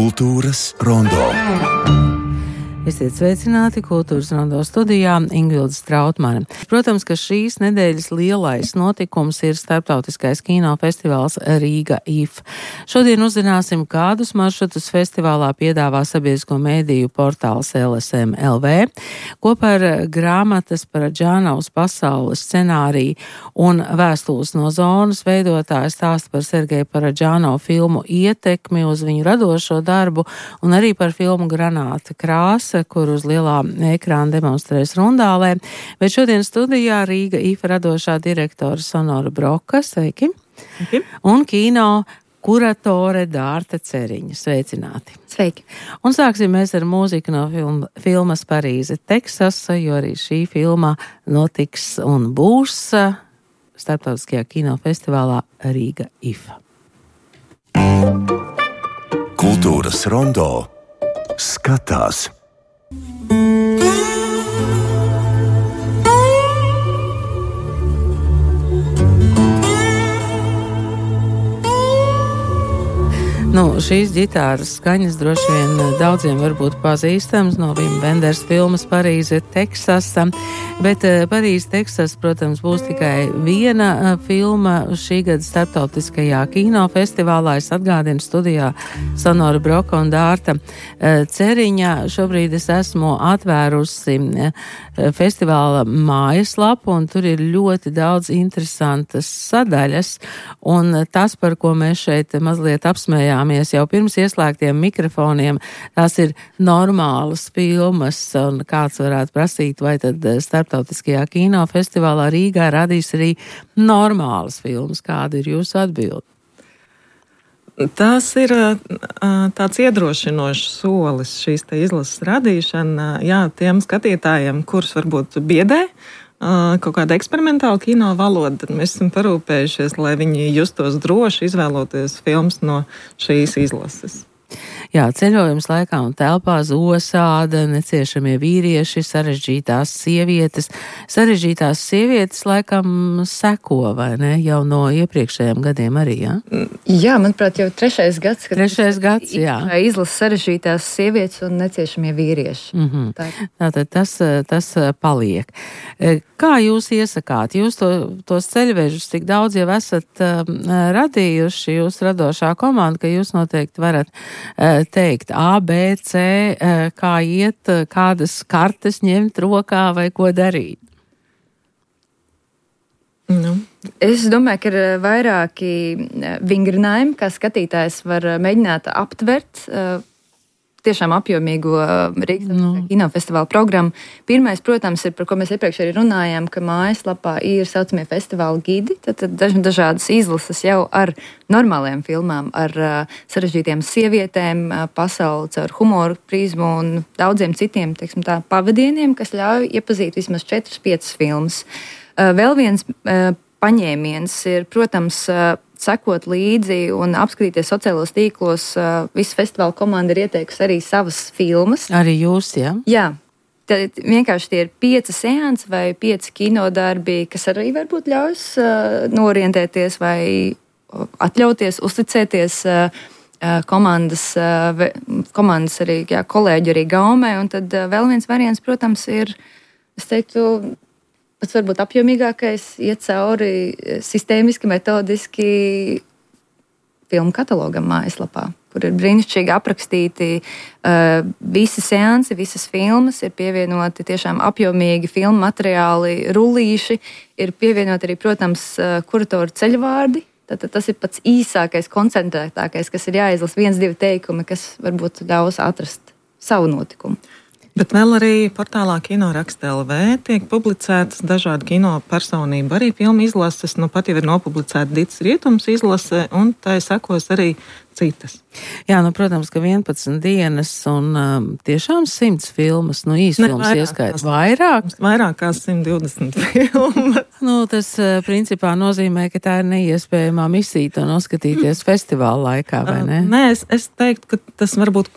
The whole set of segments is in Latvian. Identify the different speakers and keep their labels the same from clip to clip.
Speaker 1: Kultūras rondo.
Speaker 2: Esiet sveicināti Kultūras rondo studijā Ingvilde Strautmane. Protams, ka šīs nedēļas lielais notikums ir starptautiskais kinofestivāls Rīga IF. Šodien uzzināsim, kādus maršrutus festivālā piedāvā sabiedrisko mēdīju portāls LSM.LV. Kopā ar grāmatas par Džānavas pasaules scenāriju un vēstules no zonas veidotāju stāsta par Sergeja Paradžānovu filmu ietekmi uz viņu radošo darbu un arī par filmu Granāta krāsa, kur uz lielā ekrāna demonstrēs Rundālē. Bet šodien studijā Rīga IF radošā direktora Sonora Broka, sveiki, un kino kuratore Dārta Ceriņa. Sveicināti!
Speaker 3: Sveiki!
Speaker 2: Un sāksim mēs ar mūziku no filmas Parīze, Teksasa, jo arī šī filma notiks un būs starptautiskajā kinofestivālā Rīga IF.
Speaker 1: Kultūras rondo skatās.
Speaker 2: Šīs ģitāras skaņas droši vien daudziem varbūt pazīstams no Vima Venders filmas Parīze, Teksasa, bet Parīze, Teksas, protams, būs tikai viena filma šī gada starptautiskajā kinofestivālā. Es atgādinu studijā Sonora Broka un Dārta Ceriņa. Šobrīd es esmu atvērusi festivāla mājaslapu, un tur ir ļoti daudz interesantas sadaļas, un tas, par ko mēs šeit mazliet apsmējāmies jau pirms ieslēgtiem mikrofoniem, tās ir normālas filmas, un kāds varētu prasīt, vai tad starptautiskajā kinofestivālā Rīgā radīs arī normālas filmas. Kāda ir jūsu atbilde?
Speaker 4: Tas ir tāds iedrošinošs solis, šīs te izlases radīšana, tiem skatītājiem, kurus varbūt biedē kaut kāda eksperimentāla kino valoda, tad mēs esam parūpējušies, lai viņi justos droši izvēloties filmas no šīs izlases.
Speaker 2: Jā, ceļojums laikā un telpā, Zosāda, Neciešamie vīrieši, sarežģītās sievietes. Sarežģītās sievietes laikam seko, vai ne? Jau no iepriekšējiem gadiem arī, jā?
Speaker 3: Jā, manuprāt, jau trešais gads,
Speaker 2: jā.
Speaker 3: Izlasa sarežģītās sievietes un Neciešamie vīrieši.
Speaker 2: Tātad tas paliek. Kā jūs iesakāt? Jūs tos ceļvežus tik daudz jau esat radījuši, jūs radošā komanda, ka jūs noteikti varat teikt A, B, C, kā iet, kādas kartes ņemt rokā vai ko darīt?
Speaker 3: Es domāju, ka ir vairāki vingrinājumi, kā skatītājs var mēģināt aptvert tiešām apjomīgo Rīgas kinofestivāla programmu. Pirmais, protams, ir, par ko mēs iepriekš arī runājām, ka mājaslapā ir saucamie festivāla gidi, tad dažādas izlases jau ar normāliem filmām, ar sarežģītiem sievietēm, pasauli caur humoru prizmu un daudziem citiem, teiksim tā, pavadieniem, kas ļauj iepazīt vismaz 4-5 filmas. Vēl viens paņēmiens ir, protams, sekot līdzi un apskatīties sociālos tīklos. Visa festivāla komanda ir ieteikusi arī savas filmas.
Speaker 2: Arī jūs, jā?
Speaker 3: Jā. Tad vienkārši tie ir 5 seansi vai 5 kinodarbi, kas arī varbūt ļaus norientēties vai atļauties, uzticēties komandas arī, kolēģi arī gaumē. Un tad vēl viens variants, protams, ir, es teiktu, pats varbūt apjomīgākais, iet cauri sistēmiski, metodiski filmu katalogam mājaslapā, kur ir brīnišķīgi aprakstīti visi seansi, visas filmas, ir pievienoti tiešām apjomīgi filmu materiāli, rullīši, ir pievienoti arī, protams, kuratoru ceļvārdi. Tātad tas ir pats īsākais, koncentrētākais, kas ir jāizlasa 1-2 teikumi, kas varbūt ļaus atrast savu notikumu.
Speaker 4: Bet vēl arī portālā Kinoraksta.LV tiek publicētas dažādi kino personību, arī filmu izlases, pat jau ir nopublicēta Dits Rietums izlase, un tai sekos arī citas.
Speaker 2: Jā, protams, ka 11 dienas un tiešām 100 filmas, īsfilmas ieskait. Vairāk?
Speaker 4: Vairāk kā 120 filmas.
Speaker 2: Tas principā nozīmē, ka tā ir neiespējamā misija to noskatīties festivāla laikā, vai ne?
Speaker 4: Nē, es teiktu, ka tas varbūt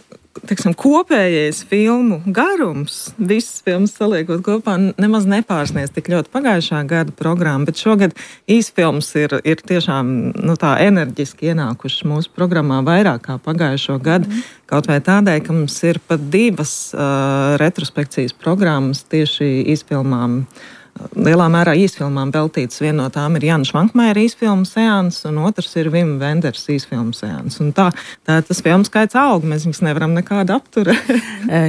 Speaker 4: teiksim, kopējais filmu garums, visas filmas saliekot kopā, nemaz nepārsniedz tik ļoti pagājušā gada programmu, bet šogad īsfilms ir tiešām tā enerģiski ienākušas mūsu programmā vairāk kā pagājušo gadu, kaut vai tādēļ, ka mums ir pat 2 retrospekcijas programmas tieši īsfilmām. Lielā mērā īsfilmām veltīts. Viena no tām ir Jānis Švankmajera īsfilmu seans, un otrs ir Vima Venders īsfilmu seans. Un tā tas filmu skaits aug, mēs viņus nevaram nekādu apturēt.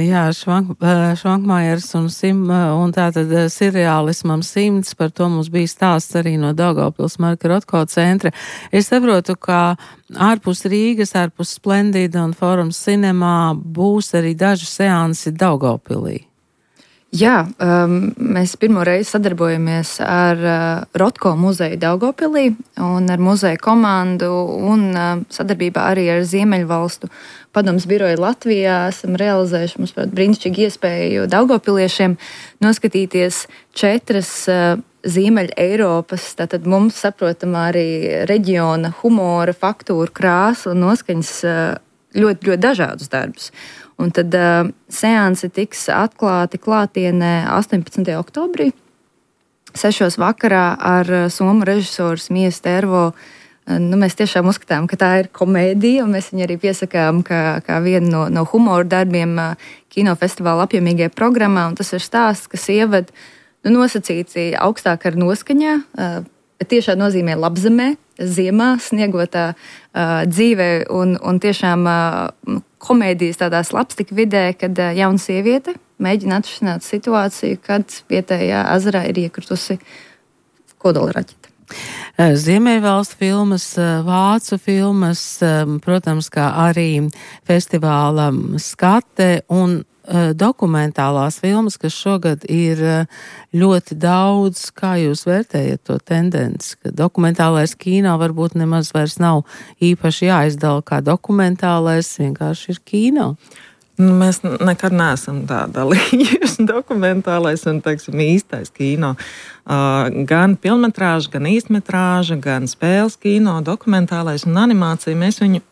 Speaker 2: Jā, Švankmajers un tātad seriālismam 100, par to mums bija stāsts arī no Daugavpils Marka Rotko centra. Es saprotu, ka ārpus Rīgas, ārpus Splendida un Forums Cinemā būs arī daži seansi Daugavpilī.
Speaker 3: Jā, mēs pirmo reizi sadarbojamies ar Rotko muzeju Daugavpilī un ar muzeja komandu un sadarbībā arī ar Ziemeļvalstu padomes biroju Latvijā esam realizējuši mums brīnišķīgu iespēju daugavpiliešiem noskatīties 4 Ziemeļa Eiropas, tātad mums saprotamā arī reģiona humora, faktūra, krāsa un noskaņas ļoti, ļoti dažādus darbus. Un tad seansi tiks atklāti klātienē 18. oktobrī, 6. vakarā ar somu režisoru Miju Stervo. Mēs tiešām uzskatām, ka tā ir komēdija, un mēs viņu arī piesakām kā vienu no humora darbiem kinofestivāla apjomīgajā programmā. Un tas ir stāsts, kas ieved nosacīti augstāk ar noskaņā, bet tiešā nozīmē labzemē, ziemā, sniegotā dzīvē un tiešām komēdijas tādā slapstika vidē, kad jauna sieviete mēģina atrisināt situāciju, kad vietējā ezerā ir iekritusi kodolraķete.
Speaker 2: Ziemeļvalstu filmas, vācu filmas, protams, kā arī festivāla skate un dokumentālās filmas, kas šogad ir ļoti daudz. Kā jūs vērtējat to tendenci, ka dokumentālais kino varbūt nemaz vairs nav īpaši jāizdala kā dokumentālais, vienkārši ir kino?
Speaker 4: Mēs nekad neesam tā dalījuši dokumentālais un, teiksim, īstais kino. Gan filmmetrāža, gan īstmetrāža, gan spēles kino, dokumentālais un animācija. Mēs viņu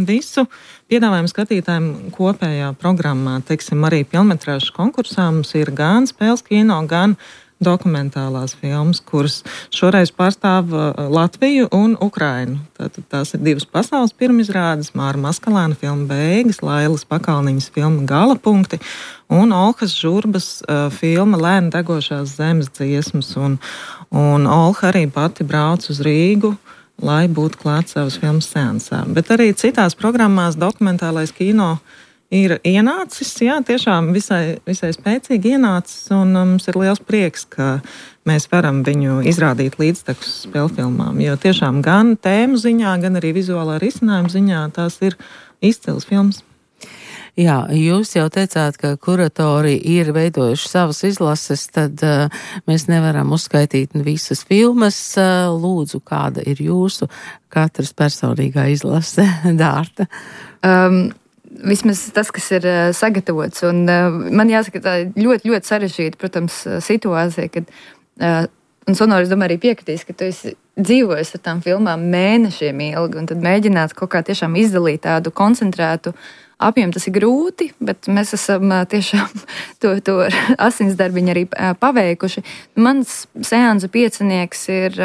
Speaker 4: visu piedāvājam skatītājiem kopējā programmā. Teiksim, arī filmmetrāžas konkursā mums ir gan spēles kino, gan dokumentālās filmas, kuras šoreiz pārstāv Latviju un Ukrainu. Tātad tās ir 2 pasaules pirmizrādes, Māra Maskalēna filma Beigas, Lailas Pakalniņas filma Galapunkti un Olhas Žurbas filma Lēni degošās zemes dziesmas. Un Olha arī pati brauc uz Rīgu, lai būtu klāt savas filmas seansā. Bet arī citās programmās dokumentālais kino ir ienācis, jā, tiešām visai spēcīgi ienācis, un mums ir liels prieks, ka mēs varam viņu izrādīt līdztekus spēlfilmām, jo tiešām gan tēmu ziņā, gan arī vizuālā risinājuma ziņā tās ir izcils filmas.
Speaker 2: Jā, jūs jau teicāt, ka kuratori ir veidojuši savas izlases, tad mēs nevaram uzskaitīt visas filmas. Lūdzu, kāda ir jūsu katras personīgā izlase, Dārta?
Speaker 3: Vismaz tas, kas ir sagatavots. Un man jāsaka, tā ļoti, ļoti sarežģīta, protams, situācija, kad, un Sonora, es domāju, arī piekritīs, ka tu esi dzīvojis ar tām filmām mēnešiem ilgi, un tad mēģināt kaut kā tiešām izdalīt tādu koncentrētu apjomu, tas ir grūti, bet mēs esam tiešām to asinsdarbiņu arī paveikuši. Mans seansu piecinieks ir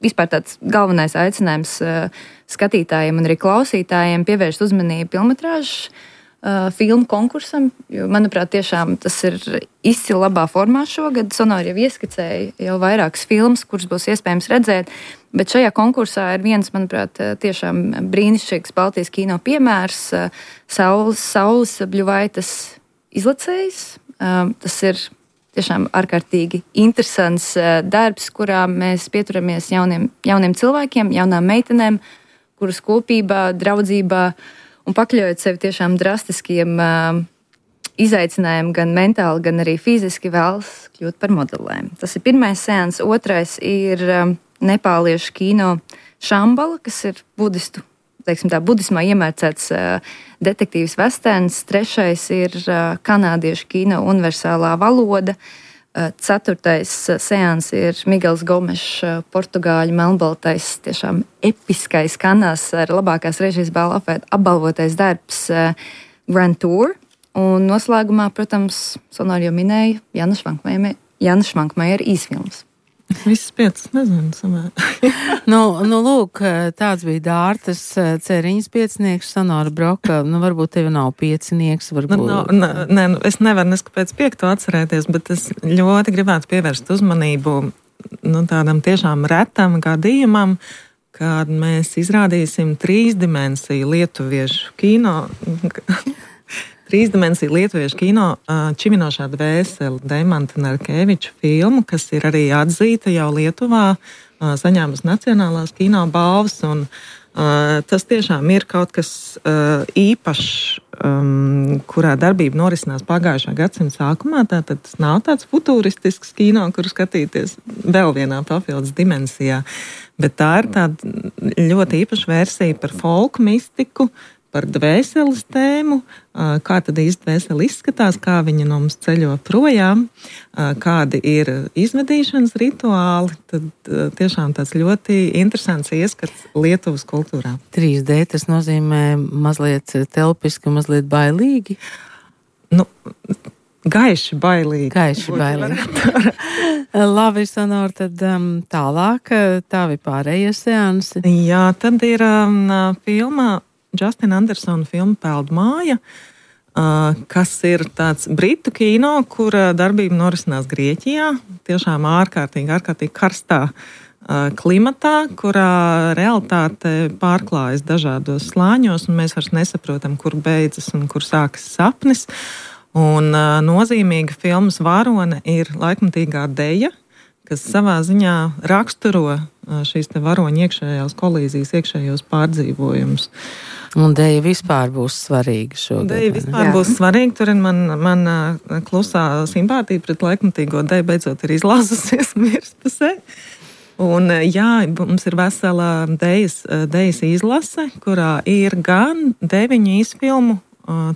Speaker 3: vispār tāds galvenais aicinājums skatītājiem un arī klausītājiem pievērst uzmanību filmmetrāžu filmu konkursam, jo, manuprāt, tiešām tas ir izcili labā formā šogad. Sonora jau ieskicēja jau vairākas filmas, kuras būs iespējams redzēt, bet šajā konkursā ir viens, manuprāt, tiešām brīnišķīgs Baltijas kino piemērs, Saules Bļuvaitas Izlacējs. Tas ir tiešām ārkārtīgi interesants darbs, kurā mēs pieturamies jauniem cilvēkiem, jaunām meitenēm, kuras kopībā, draudzībā un pakļaujot sevi tiešām drastiskiem izaicinājumiem, gan mentāli, gan arī fiziski vēlas kļūt par modelēm. Tas ir pirmais seans, otrais ir nepāliešu kino Šambala, kas ir budistu, teiksim tā, budismā iemērcēts detektīvs westerns, trešais ir kanādiešu kino Universālā valoda, Ceturtais seans ir Miguels Gomešs, portugāļu melnbaltais, tiešām episkais kanās ar labākās režijas balvu apbalvotais darbs Grand Tour. Un noslēgumā, protams, Sonora jau minēja Jānis Švankmējera īsfilms.
Speaker 4: Visas 5, nezinu, samērā.
Speaker 2: Lūk, tāds bija Dārtas Ceriņas piecinieks, Sonora Broka. Varbūt tev nav piecinieks, varbūt.
Speaker 4: Es nevaru neskapēc 5 atcerēties, bet es ļoti gribētu pievērst uzmanību tādam tiešām retam gadījumam, kad mēs izrādīsim 3-dimensiju lietuviešu kino. 3-dimensiju lietuviešu kino Čiminošā dvēsele Deimanta Narkeviča filmu, kas ir arī atzīta jau Lietuvā, saņēmusi Nacionālās kino balvas, un tas tiešām ir kaut kas īpašs, kurā darbība norisinās pagājušā gadsimta sākumā, tātad tas nav tāds futuristisks kino, kur skatīties vēl vienā papildus dimensijā, bet tā ir tāda ļoti īpaša versija par folku mistiku, par dvēseles tēmu, kā tad īsti dvēsele izskatās, kā viņa no mums ceļo projām, kādi ir izvedīšanas rituāli, tad tiešām tāds ļoti interesants ieskats Lietuvas kultūrā.
Speaker 2: 3D tas nozīmē mazliet telpiski, mazliet bailīgi?
Speaker 4: Gaiši bailīgi.
Speaker 2: Gaiši bailīgi. Labi, Sonora, tad tālāk tavi pārējie seansi.
Speaker 4: Jā, tad ir filma Justina Andersona filma Peldu māja, kas ir tāds britu kino, kura darbība norisinās Grieķijā, tiešām ārkārtīgi karstā klimatā, kurā realitāte pārklājas dažādos slāņos, un mēs vairs nesaprotam, kur beidzas un kur sākas sapnis. Un nozīmīga filmas varone ir laikmatīgā deja, kas savā ziņā raksturo šīs te varoņu iekšējās kolīzijas, iekšējos pārdzīvojumus.
Speaker 2: Un deja vispār būs svarīga šogad.
Speaker 4: Deja vispār būs svarīga, tur ir man klusā simpātija pret laikmatīgo deju beidzot ir izlāzusies mirspusē. Un jā, mums ir vesela dejas izlase, kurā ir gan 9 īsfilmu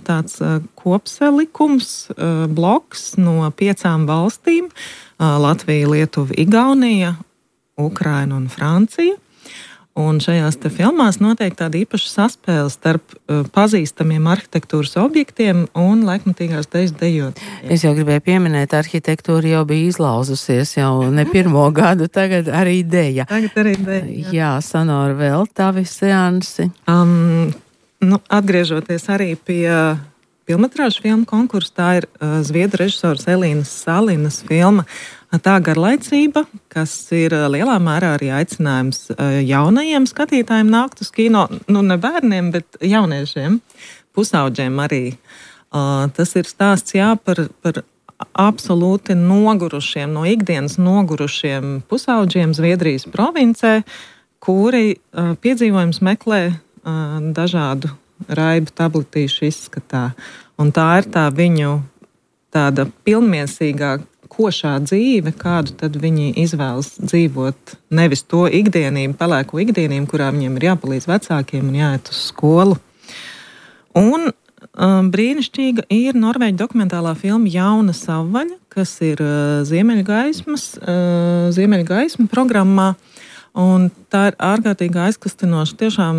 Speaker 4: tāds kopsalikums, bloks no 5 valstīm - Latvija, Lietuva, Igaunija, Ukraina un Francija. Un šajās te filmās notiek tāda īpaša saspēle starp pazīstamiem arhitektūras objektiem un laikmatīgās dejas dejotājiem.
Speaker 2: Es jau gribēju pieminēt, arhitektūra jau bija izlauzusies jau ne pirmo gadu, tagad arī deja. Jā, Sonora, vēl tavi seansi.
Speaker 4: Atgriežoties arī pie filmetrāžu filmu konkursa, tā ir zviedru režisors Elīnas Salinas filma Tā garlaicība, kas ir lielā mērā arī aicinājums jaunajiem skatītājiem nākt uz kino, ne bērniem, bet jauniešiem, pusauģiem arī. Tas ir stāsts par absolūti nogurušiem, no ikdienas nogurušiem pusauģiem Zviedrijas provincē, kuri piedzīvojums meklē dažādu raibu tabletīšu izskatā. Un tā ir tā viņu tāda pilnmiesīgā košā dzīve, kādu tad viņi izvēlas dzīvot, nevis to ikdienību, pelēko ikdienību, kurā viņiem ir jāpalīdz vecākiem un jāiet uz skolu. Un brīnišķīga ir norvēģu dokumentālā filma Jauna savvaļa, kas ir Ziemeļgaisma programmā. Un tā ir ārkārtīgi aizkustinoša, tiešām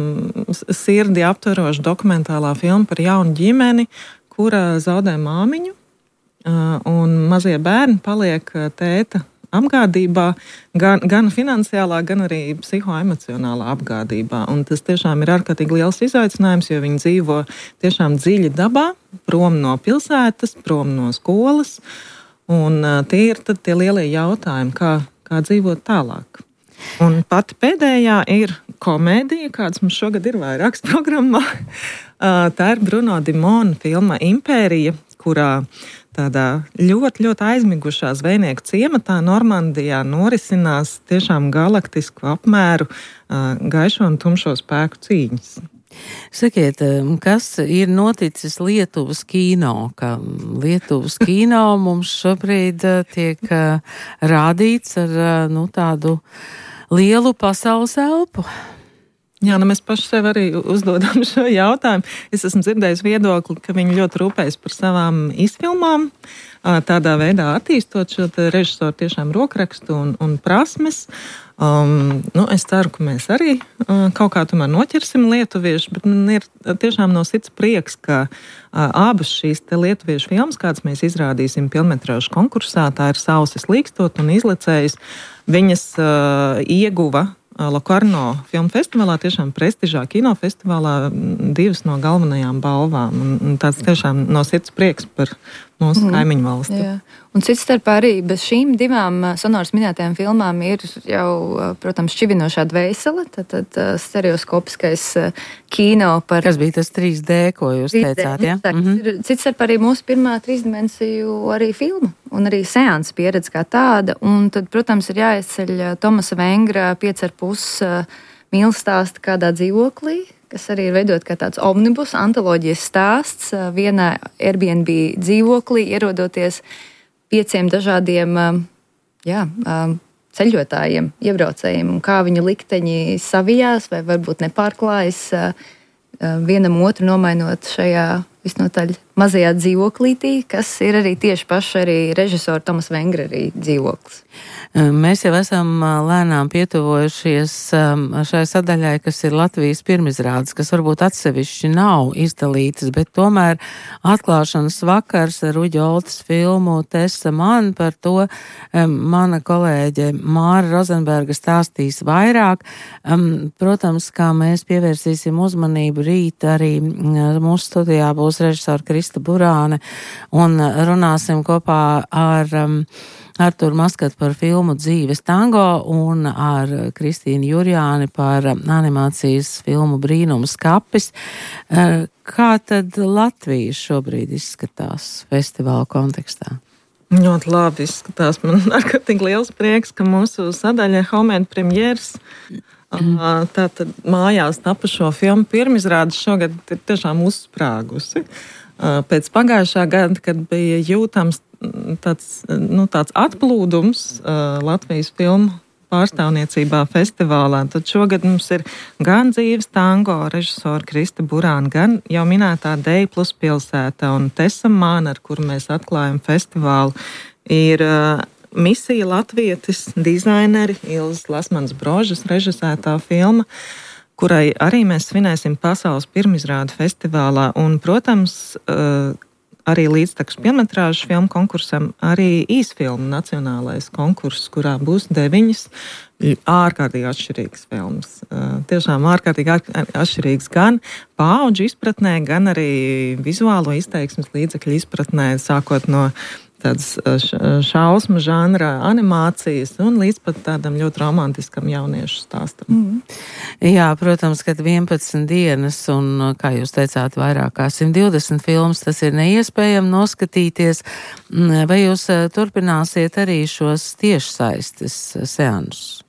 Speaker 4: sirdi aptveroša dokumentālā filma par jaunu ģimeni, kura zaudē māmiņu. Un mazie bērni paliek tēta apgādībā, gan finansiālā, gan arī psihoemocionālā apgādībā. Un tas tiešām ir ārkārtīgi liels izaicinājums, jo viņi dzīvo tiešām dziļi dabā, prom no pilsētas, prom no skolas. Un tie ir tad tie lielie jautājumi, kā dzīvot tālāk. Un pati pēdējā ir komēdija, kāds mums šogad ir vairākas programmā. Tā ir Bruno Dimona filma Impērija, kurā tādā ļoti, ļoti aizmigušā zvejnieku ciematā Normandijā norisinās tiešām galaktisku apmēru gaišo un tumšo spēku cīņas.
Speaker 2: Sakiet, kas ir noticis Lietuvas kino? Ka Lietuvas kino mums šobrīd tiek rādīts ar tādu lielu pasaules elpu.
Speaker 4: Jā, mēs paši sev arī uzdodam šo jautājumu. Es esmu dzirdējis viedokli, ka viņi ļoti rūpējas par savām izfilmām, tādā veidā attīstot šo režisoru tiešām rokrakstu un prasmes. Es ceru, ka mēs arī kaut kā tomēr noķersim lietuviešu, bet man ir tiešām no sirds prieks, ka abas šīs lietuviešu filmas, kādas mēs izrādīsim pilnmetrāžu konkursā, tā ir Sausis līkstot un Izlicējs, viņas ieguva Lokarno filmu festivālā, tiešām prestižā kinofestivālā, 2 no galvenajām balvām. Un tāds tiešām no sirds prieks par mūsu kaimiņu valsti.
Speaker 3: Jā. Un cits starpā arī bez šīm 2 Sonoras minētajām filmām ir jau, protams, Šķivinošā dvēsele, tad stereoskopiskais kino par...
Speaker 2: Kas bija tas 3D, ko jūs 3D, teicāt, ja?
Speaker 3: Cits starpā arī mūsu pirmā 3-dimensiju arī filma un arī seansa pieredze kā tāda. Un tad, protams, ir jāizceļ Tomasa Vengra 5,5 mīlestāsta kādā dzīvoklī, kas arī ir veidot kā tāds omnibus, antoloģijas stāsts vienā Airbnb dzīvoklī, ierodoties 5 dažādiem ceļotājiem, iebraucējiem, un kā viņu likteņi savijās vai varbūt nepārklājas vienam otru nomainot šajā visnotaļ mazajā dzīvoklītī, kas ir arī tieši paši arī režisora Tomasa Vengra arī dzīvoklis.
Speaker 2: Mēs jau esam lēnām pietuvojušies šai sadaļai, kas ir Latvijas pirmizrādes, kas varbūt atsevišķi nav izdalītas, bet tomēr atklāšanas vakars ar Uģi Oltes filmu Tessa man, par to mana kolēģe Māra Rozenberga stāstīs vairāk. Protams, kā mēs pievērsīsim uzmanību rīt, arī mūsu studijā būs režisora Krista Burāne un runāsim kopā ar Arturu Maskatu par filmu Dzīves tango un ar Kristīnu Jurjāni par animācijas filmu Brīnums kapis. Kā tad Latvija šobrīd izskatās festivāla kontekstā?
Speaker 4: Ļoti labi izskatās. Man ārkārtīgi liels prieks, ka mūsu sadaļa Homēna premjeras tātad mājās tapušo filmu pirmizrādes šogad ir tiešām uzsprāgusi. Pēc pagājušā gada, kad bija jūtams tāds atplūdums Latvijas filmu pārstāvniecībā festivālā, tad šogad mums ir gan Dzīves tango režisora Krista Burāna, gan jau minētā Deja plus pilsēta un Tessa man, ar kuru mēs atklājam festivālu, ir Misija latvietis, dizaineri Ilzas Lasmanas Brožas režisētā filma, kurai arī mēs svinēsim pasaules pirmizrādu festivālā. Un, protams, arī līdztekus pilnmetrāžu filmu konkursam arī īsfilmu nacionālais konkurss, kurā būs 9 ārkārtīgi atšķirīgas filmas. Tiešām ārkārtīgi atšķirīgas gan paudžu izpratnē, gan arī vizuālo izteiksmes līdzekļu izpratnē, sākot no tādas šausmu žanra animācijas un līdz pat tādam ļoti romantiskam jauniešu stāstam.
Speaker 2: Jā, protams, kad 11 dienas un, kā jūs teicāt, vairāk kā 120 filmas, tas ir neiespējami noskatīties. Vai jūs turpināsiet arī šos tiešsaistes seansus?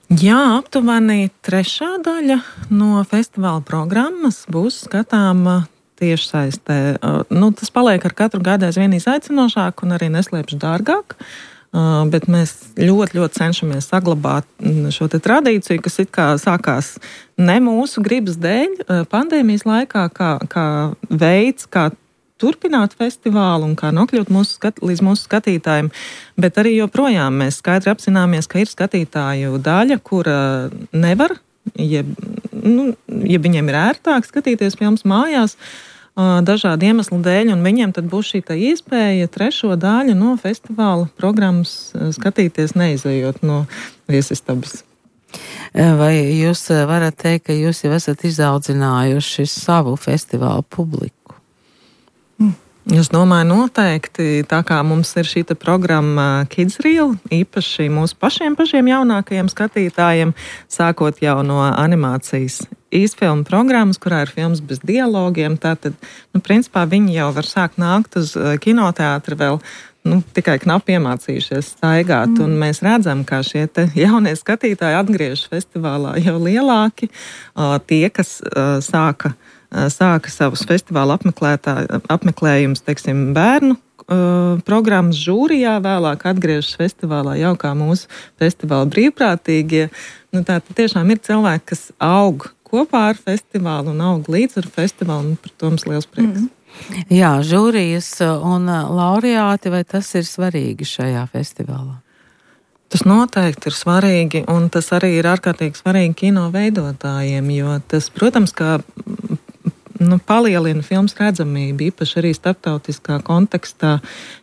Speaker 4: Jā, aptuveni 3. daļa no festivāla programmas būs skatāma tiešsaistē. Tas paliek ar katru gadu aizvien izaicinošāk un arī neslēpšu dārgāk, bet mēs ļoti cenšamies saglabāt šo te tradīciju, kas it kā sākās ne mūsu gribas dēļ pandēmijas laikā, kā veids, kā turpināt festivālu un kā nokļūt līdz mūsu skatītājiem, bet arī joprojām mēs skaidri apzināmies, ka ir skatītāju daļa, kura nevar, ja viņiem ir ērtāk skatīties filmas mājās, dažādu iemeslu dēļ, un viņiem tad būs šī iespēja 3. daļu no festivāla programmas skatīties, neizejot no viesistabas.
Speaker 2: Vai jūs varat teikt, ka jūs jau esat izaudzinājuši savu festivālu publiku?
Speaker 4: Es domāju, noteikti, tā kā mums ir šī programma Kids Reel, īpaši mūsu pašiem jaunākajiem skatītājiem, sākot jau no animācijas īsfilmu programmas, kurā ir filmas bez dialogiem, tātad, principā viņi jau var sākt nākt uz kinoteātri vēl tikai knapi iemācījušies staigāt, un mēs redzam, kā šie jaunie skatītāji atgriežas festivālā jau lielāki, tie, kas sāka savus festivāla apmeklējumus, teiksim, bērnu programmas žūrijā, vēlāk atgriežas festivālā jau kā mūsu festivāla brīvprātīgie. Tā tiešām ir cilvēki, kas aug kopā ar festivālu un aug līdz ar festivālu, un par to mums liels prieks.
Speaker 2: Jā, žūrijas un laureāti, vai tas ir svarīgi šajā festivālā?
Speaker 4: Tas noteikti ir svarīgi, un tas arī ir ārkārtīgi svarīgi kino veidotājiem, jo tas, protams, kā palielina filmas redzamību, īpaši arī starptautiskā kontekstā.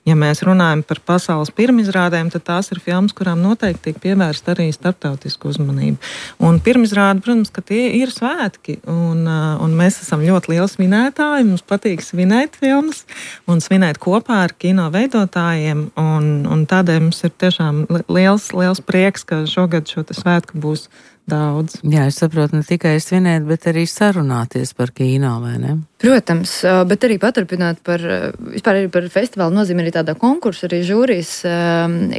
Speaker 4: Ja mēs runājam par pasaules pirmizrādēm, tad tās ir filmas, kurām noteikti tiek pievērsta arī starptautisku uzmanību. Un pirmizrāde, protams, ka tie ir svētki, un mēs esam ļoti lieli svinētāji, mums patīk svinēt filmas un svinēt kopā ar kino veidotājiem, un tādēļ mums ir tiešām liels prieks, ka šogad šo svētku būs daudz.
Speaker 2: Jā, es saprotu, ne tikai svinēt, bet arī sarunāties par kino, vai ne?
Speaker 3: Protams, bet arī paturpināt vispār arī par festivālu nozīmi arī tādā konkursa, arī žūrijas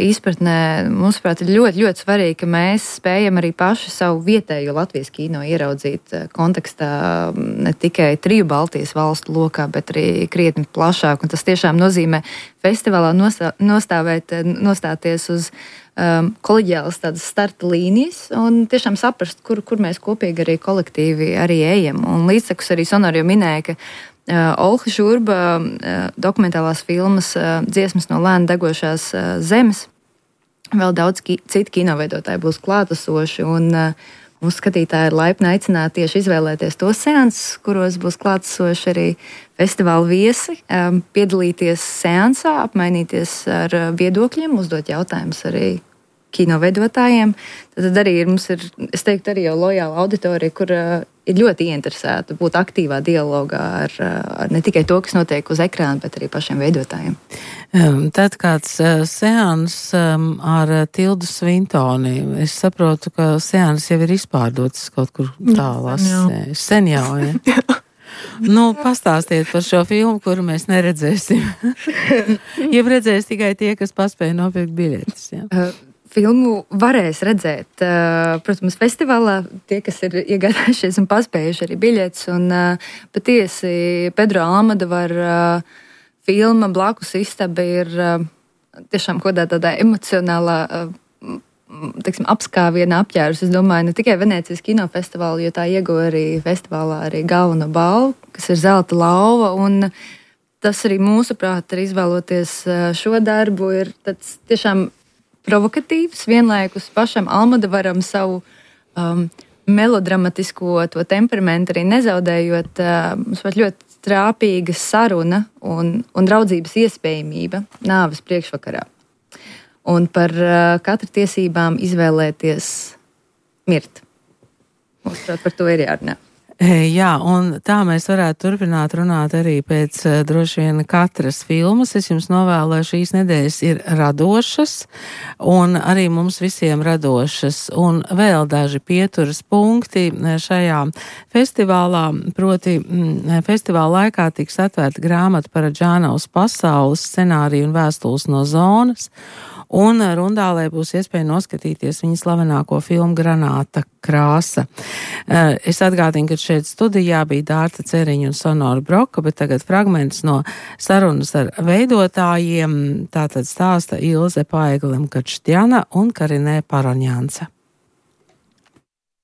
Speaker 3: izpratnē. Mūsuprāt, ir ļoti, ļoti svarīgi, ka mēs spējam arī paši savu vietējo Latvijas kino ieraudzīt kontekstā ne tikai 3 Baltijas valstu lokā, bet arī krietni plašāk. Un tas tiešām nozīmē festivālā nostāties uz koleģiālas tādas starta līnijas un tiešām saprast, kur mēs kopīgi arī kolektīvi arī ejam. Un līdztekus arī Sonora jau minēja, ka Olha Žurba dokumentālās filmas Dziesmas no lēni degošās zemes, vēl daudz citu kinoveidotāji būs klātesoši, un mūsu skatītāji ir laipni aicināti tieši izvēlēties tos seansus, kuros būs klātesoši arī festivāla viesi, piedalīties seansā, apmainīties ar viedokļiem, uzdot jautājumus arī kinoveidotājiem. Tad arī mums ir, es teiktu, arī jau lojāla auditorija, kur ir ļoti ieinteresēta būt aktīvā dialogā ar ne tikai to, kas notiek uz ekrāna, bet arī pašiem veidotājiem.
Speaker 2: Tad kāds seans ar Tildu Svintoni, es saprotu, ka seans jau ir izpārdots kaut kur tālās. Sen jau, ja? Pastāstiet par šo filmu, kuru mēs neredzēsim. Ja redzēs tikai tie, kas paspēja nopirkt biļetes, ja?
Speaker 3: Filmu varēs redzēt, protams, festivālā, tie, kas ir iegādājušies un paspējuši arī biļetes, un patiesi Pedro Almodovar filma Blakus istaba ir tiešām kaut tādā emocionālā, apskāviena apģērbs. Es domāju, ne tikai Venēcijas kinofestivālu, jo tā ieguva arī festivālā arī galveno balvu, kas ir Zelta lauva, un tas arī mūsuprāt ir izvēloties šo darbu, ir tāds tiešām provokatīvs, vienlaikus pašam Almodovaram savu melodramatisko to temperamentu arī nezaudējot, mums pat ļoti trāpīga saruna un draudzības iespējamība nāves priekšvakarā. Un par katru tiesībām izvēlēties mirt. Mūsuprāt, par to ir jārunā.
Speaker 2: Jā, un tā mēs varētu turpināt runāt arī pēc droši vien katras filmas. Es jums novēlu, lai šīs nedēļas ir radošas un arī mums visiem radošas. Un vēl daži pieturas punkti šajā festivālā, proti festivāla laikā tiks atvērta grāmata par Džānavas pasaules scenāriju un vēstules no zonas. Un Rundālē būs iespēja noskatīties viņa slavenāko filmu Granāta krāsa. Es atgādinu, ka šeit studijā bija Dārta Ceriņa un Sonora Broka, bet tagad fragments no sarunas ar veidotājiem. Tātad stāsta Ilze Paeglim-Kačtjana un Karinē Paroņānce.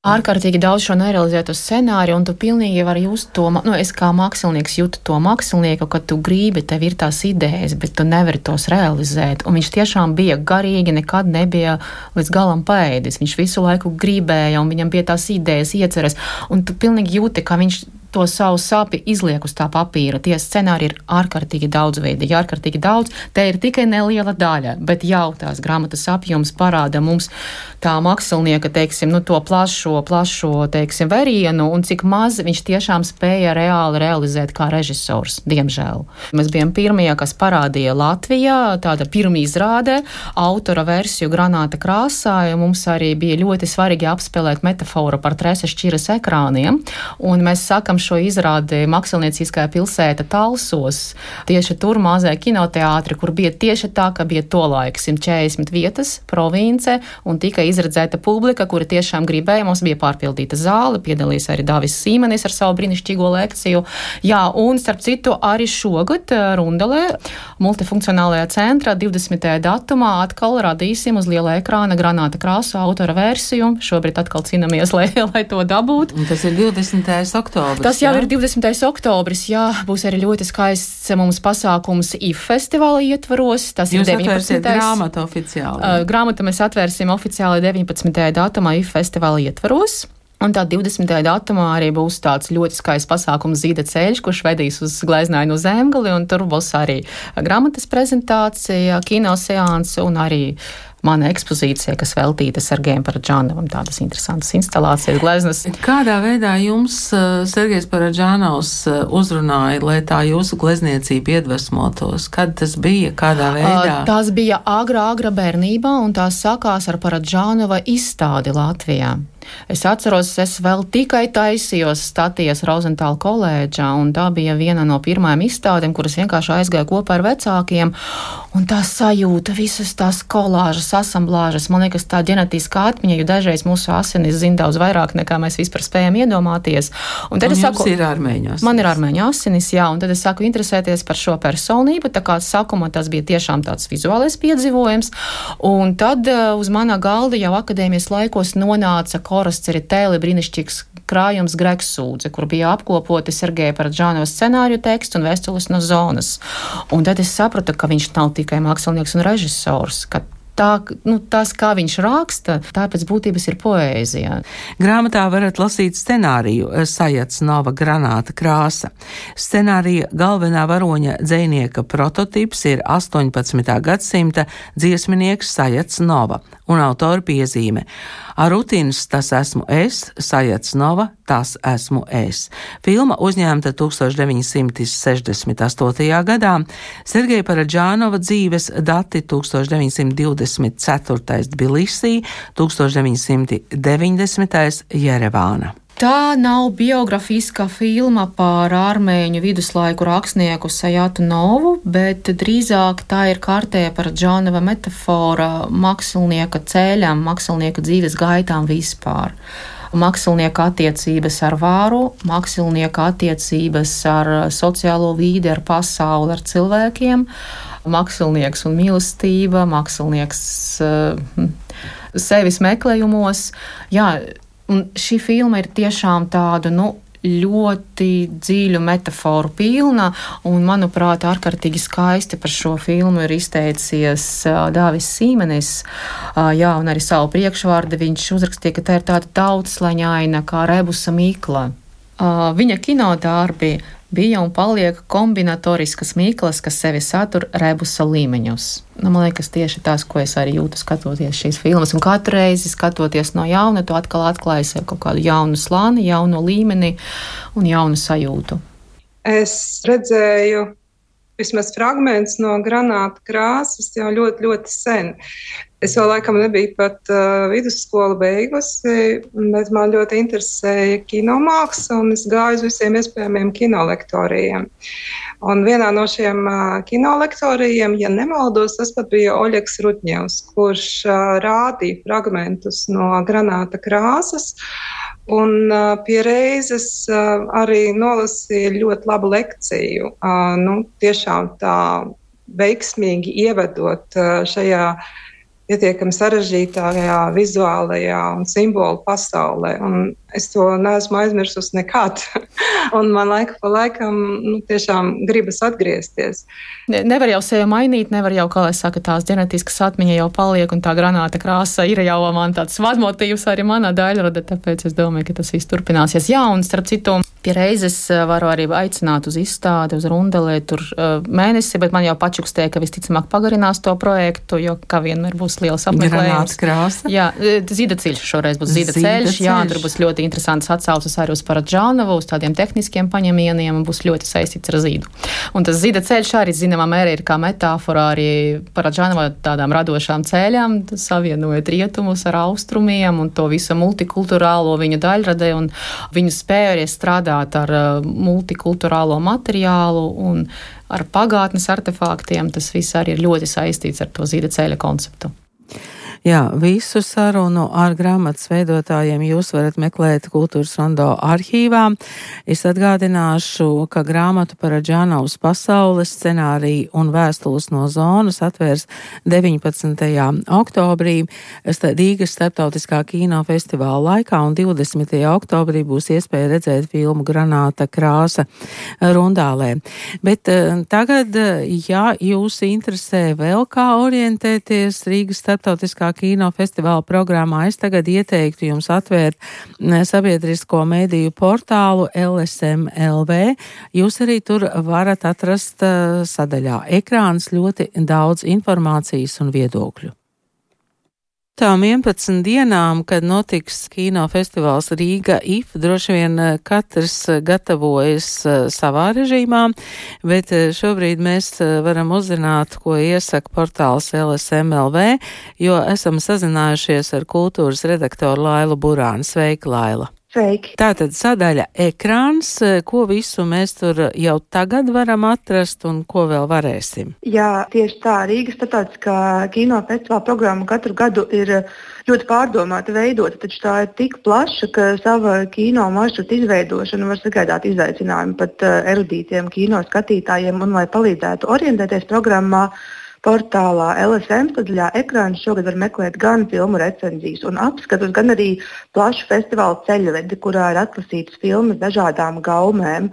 Speaker 5: Ārkārtīgi daudz šo nerealizēto scenāriju, un tu pilnīgi vari just to, es kā mākslinieks jūtu to mākslinieku, ka tu gribi, tev ir tās idejas, bet tu nevari tos realizēt, un viņš tiešām bija garīgi, nekad nebija līdz galam paēdis, viņš visu laiku gribēja, un viņam bija tās idejas, ieceres, un tu pilnīgi jūti, ka viņš to savu sāpi izliek uz tā papīra. Tie scenāri ir ārkārtīgi daudzveidīgi, ārkārtīgi daudz. Te ir tikai neliela daļa, bet jau tās grāmatas apjoms parāda mums tā mākslinieka, to plašo, verienu, un cik maz viņš tiešām spēja reāli realizēt kā režisors, diemžēl. Mēs bijām pirmie, kas parādīja Latvijā, tāda pirmizrāde, autora versiju Granāta krāsā, ja mums arī bija ļoti svarīgi apspēlēt metaforu par trese šķiras ekrāniem, un mēs sākam šo izrādi Mākslinieckā pilsēta Talsos. Tieši tur mazajā kinoteātri, kur bija tieši tā, ka bija tolaik 140 vietas, province, un tika izredzēta publika, kuri tiešām gribēja. Mums bija pārpildīta zāle, piedalījās arī Dāvis Sīmanis ar savu brīnišķīgo lekciju. Jā, un starp citu arī šogad Rundelē, multifunkcionālajā centrā 20. datumā atkal radīsim uz liela ekrāna Granāta krāsu autora versiju. Šobrīd atkal cīnāmies, lai to dabūtu.
Speaker 2: Un tas ir 20. oktobris.
Speaker 5: Tas jau ir 20. oktobris, jā, būs arī ļoti skaists mums pasākums IF festivāla ietvaros. Tas
Speaker 2: Jūs
Speaker 5: ir 19.
Speaker 2: grāmatu oficiāli.
Speaker 5: Grāmatu mēs atvērsim oficiāli 19. datumā IF festivāla ietvaros. Un tā 20. datumā arī būs tāds ļoti skaists pasākums Zīda ceļš, kurš vedīs uz Gleznainu Zemgali, un tur būs arī grāmatas prezentācija, kinoseanse un arī mana ekspozīcija, kas veltīta Sergejam Paradžānovam, tādas interesantas instalācijas, gleznas.
Speaker 2: Kādā veidā jums Sergejs Paradžānovs uzrunāja, lai tā jūsu glezniecība iedvesmotos? Kad tas bija? Kādā veidā?
Speaker 5: Tas bija agra bērnībā, un tās sākās ar Paradžānova izstādi Latvijā. Es atceros, es vēl tikai taisījos staties Rozentāla koledžā, un tā bija viena no pirmajām izstādēm, kuras vienkārši aizgāja kopā ar vecākiem, un tā sajūta, visas tās kolāžas, asamblāžas, man liekas, tā ģenetiskā atmiņa, jo dažreiz mūsu asinis zina daudz vairāk, nekā mēs vispār spējam iedomāties. Un tad es saku,
Speaker 2: ir armēņu asinis.
Speaker 5: Man ir armēņu asinis, jā, un tad es saku interesēties par šo personību, tā kā sākumā tas bija tiešām tāds vizuālais piedzīvojums, un tad uz mana galda jau akadēmijas laikos nonāca Koras Ceritēli brīnišķīgs krājums Gregs Sūdze, kur bija apkopoti Sergeja Paradžānova scenāriju tekstu un vēstules no zonas. Un tad es sapratu, ka viņš nav tikai mākslinieks un režisors, ka tas, kā viņš raksta, tā pēc būtības ir poēzija.
Speaker 2: Grāmatā varat lasīt scenāriju Sajacnova Granāta krāsa. Scenārija galvenā varoņa dzejnieka prototips ir 18. gadsimta dziesminieks Sajacnova un autora piezīme. Arutins tas esmu es, Sajacnova tas esmu es. Filma uzņēmta 1968. gadā. Sergeja Paradžānova dzīves dati 1924. Tbilisī, 1990. Jerevāna.
Speaker 5: Tā nav biografiska filma par armēņu viduslaiku rakstnieku Sajatu Novu, bet drīzāk tā ir kārtēja Paradžānova metafora mākslinieka ceļam, mākslinieka dzīves gaitām vispār. Mākslinieka attiecības ar vāru, mākslinieka attiecības ar sociālo vīdi, ar pasauli, ar cilvēkiem, mākslinieks un mīlestība, mākslinieks sevis meklējumos. Jā, un šī filma ir tiešām tādu, ļoti dziļu metaforu pilna, un, manuprāt, ārkārtīgi skaisti par šo filmu ir izteicies Dāvis Sīmanis, jā, un arī savu priekšvārdu viņš uzrakstīja, ka tā ir tāda daudzslaņaina kā rebusa mīkla. Viņa kinodārbi bija un paliek kombinatoriskas mīklas, kas sevi satur rebusa līmeņus. Man liekas, tieši tas, ko es arī jūtu skatoties šīs filmas, un katru reizi skatoties no jauna, tu atkal atklāji sev kaut kādu jaunu slāni, jaunu līmeni un jaunu sajūtu.
Speaker 6: Es redzēju vismaz fragments no Granāta krāsas jau ļoti, ļoti sen. Es vēl laikam nebiju pat vidusskolu beigusi, bet man ļoti interesēja kinomāksla, un es gāju uz visiem iespējamiem kinolektorijiem. Un vienā no šiem kinolektorijiem, ja nemaldos, tas pat bija Oļegs Rudņevs, kurš rādīja fragmentus no Granāta krāsas, un pie reizes arī nolasīja ļoti labu lekciju. Tiešām tā veiksmīgi ievedot šajā pietiekami sarežģītākajā vizuālajā un simbolu pasaulē. Un es to neesmu aizmirsusi nekad. Un man laika pa laikam tiešām gribas atgriezties.
Speaker 5: Nevar jau sevi mainīt, nevar jau, kā lai saka, tās ģenetiskas atmiņa jau paliek, un tā Granāta krāsa ir jau man tāds vadmotīvs arī manā daļrada, tāpēc es domāju, ka tas viss turpināsies. Jā, un starp citu, pie reizes varu arī aicināt uz izstādi, uz Rundelē tur mēnesi, bet man jau pačukstēja, ka visticamāk pagarinās to projektu, jo kā vienmēr būs liels apmeklējums.
Speaker 2: Granāta krāsa?
Speaker 5: Jā, Zīda ceļš šoreiz būs Zīda ceļš, jā, tur būs ļoti ļoti interesantas atsauces arī uz Paradžānovu, uz tādiem tehniskiem paņemieniem un būs ļoti saistīts ar zīdu. Un tas zida ceļš arī, zināmā mērā, ir kā metāfora arī Paradžānova tādām radošām ceļām, savienojot rietumus ar austrumiem un to visu multikulturālo viņa daļradē un viņa spēju arī strādāt ar multikulturālo materiālu un ar pagātnes artefaktiem. Tas viss arī ir ļoti saistīts ar to zida ceļa konceptu.
Speaker 2: Jā, visu sarunu ar grāmatas veidotājiem jūs varat meklēt Kultūras rondo arhīvā. Es atgādināšu, ka grāmatu Paradžānovas pasaules scenāriju un vēstules no zonas atvērs 19. oktobrī Rīgas starptautiskā kino festivāla laikā, un 20. oktobrī būs iespēja redzēt filmu Granāta krāsa Rundālē. Bet tagad, ja jūs interesē vēl kā orientēties Rīgas starptautiskā kino festivāla programmā, es tagad ieteiktu jums atvērt sabiedrisko mediju portālu LSM.LV. Jūs arī tur varat atrast sadaļā ekrāns ļoti daudz informācijas un viedokļu. Tām 11 dienām, kad notiks kino festivāls Rīga IF, droši vien katrs gatavojas savā režīmā, bet šobrīd mēs varam uzzināt, ko iesaka portāls LSM.LV, jo esam sazinājušies ar kultūras redaktoru Lailu Burānu. Sveika, Laila!
Speaker 7: Sveiki!
Speaker 2: Tātad sadaļa ekrāns, ko visu mēs tur jau tagad varam atrast un ko vēl varēsim?
Speaker 7: Jā, tieši tā. Rīgas starptautiskā kino festivāla programma katru gadu ir ļoti pārdomāta veidota, taču tā ir tik plaša, ka sava kino maršruta izveidošana var sagaidāt izaicinājumu pat erudītiem kino skatītājiem, un lai palīdzētu orientēties programmā, portālā LSM sadaļā ekrāns šogad var meklēt gan filmu recenzijas un apskatus, gan arī plašu festivāla ceļvedi, kurā ir atlasītas filmas dažādām gaumēm.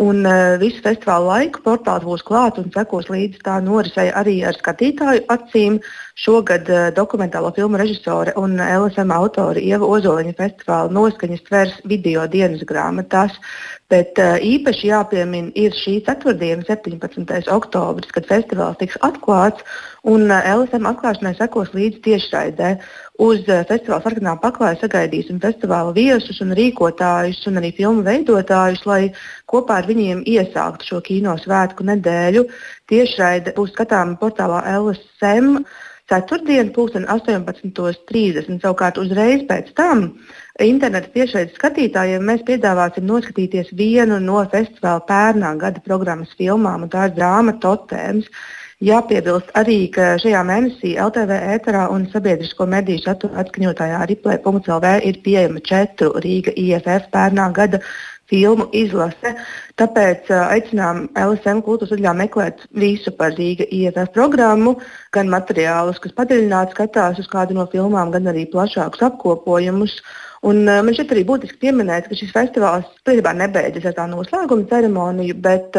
Speaker 7: Un visu festivālu laiku portāls būs klāts un sekos līdzi tā norisei arī ar skatītāju acīm. Šogad dokumentālo filmu režisore un LSM autori Ieva Ozoliņa festivāla noskaņas tvers video dienas grāmatās. Bet īpaši jāpiemina ir šī ceturtdiena, 17. oktobris, kad festivāls tiks atklāts, un LSM atklāšanai sekos līdzi tiešraidē. Uz festivāla sarkanā paklāja sagaidīsim festivāla viesus un rīkotājus un arī filmu veidotājus, lai kopā ar viņiem iesāktu šo kino svētku nedēļu. Tiešraide būs skatāma portālā LSM ceturtdien, 18:30. Savukārt uzreiz pēc tam interneta tiešraides skatītājiem mēs piedāvāsim noskatīties vienu no festivāla pērnā gada programmas filmām, un tā ir drāma Totēms. Jāpiebilst arī, ka šajā mēnesī LTV ēterā un sabiedrisko mediju satura atskaņotājā Riplē.lv ir pieejama 4 Rīga IFF pērnā gada filmu izlase. Tāpēc aicinām LSM kultūras sadaļā meklēt visu par Rīga IFF programmu, gan materiālus, kas padziļināti skatās uz kādu no filmām, gan arī plašākus apkopojumus. Un man šeit arī būtiski pieminēt, ka šis festivāls principā nebeidzas ar tā noslēguma ceremoniju, bet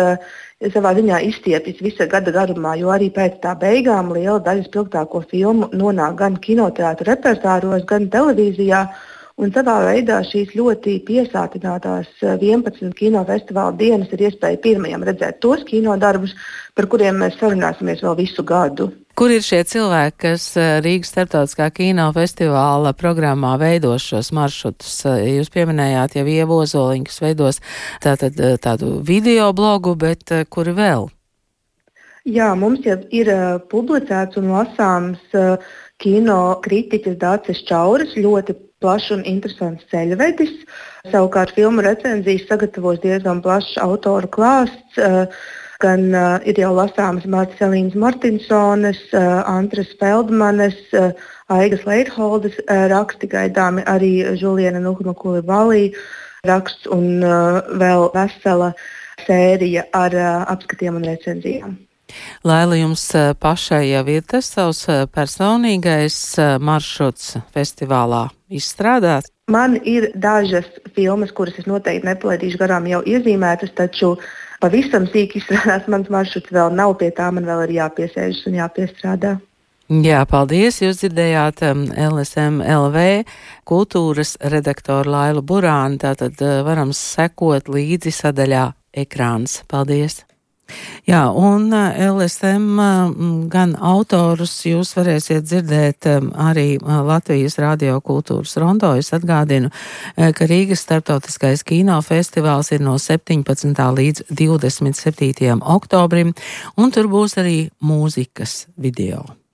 Speaker 7: savā ziņā izstiepjas visa gada garumā, jo arī pēc tā beigām liela daļa spilgtāko filmu nonāk gan kinoteātra repertāros, gan televīzijā. Un savā veidā šīs ļoti piesātinātās 11 kinofestivāla dienas ir iespēja pirmajam redzēt tos kinodarbus, par kuriem mēs sarunāsimies vēl visu gadu.
Speaker 2: Kur ir šie cilvēki, kas Rīgas starptautiskā kino festivāla programmā veidos šos maršrutus? Jūs pieminējāt jau Ievu Ozoliņu, kas veidos tādu video blogu, bet kuri vēl?
Speaker 7: Jā, mums jau ir publicēts un lasāms kino kritiķis Dācis Čauris, ļoti plašs un interesants ceļvedis. Savukārt filmu recenzijas sagatavos diezgan plašs autoru klāsts. Gan ir jau lasāmas Martas Elīnas Martinsones, Antras Feldmanes, Aigas Leitholdes raksti, gaidāmi arī Žuliena Nuhma-Kulibalī raksts un vēl vesela sērija ar apskatiem un recenzijām.
Speaker 2: Laila, jums pašai jau ir tas savs personīgais maršruts festivālā izstrādāts?
Speaker 7: Man ir dažas filmas, kuras es noteikti nepalaidīšu garām jau iezīmētas, taču pavisam sīki izstrādās mans maršruts vēl nav, pie tā man vēl ir jāpiesēžas un jāpiestrādā.
Speaker 2: Jā, paldies. Jūs dzirdējāt LSM.LV kultūras redaktoru Lailu Burānu, tātad varam sekot līdzi sadaļā ekrāns. Paldies! Jā, un LSM gan autorus jūs varēsiet dzirdēt arī Latvijas Radio kultūras rondo. Es atgādinu, ka Rīgas starptautiskais kinofestivāls ir no 17. līdz 27. oktobrim, un tur būs arī mūzikas video.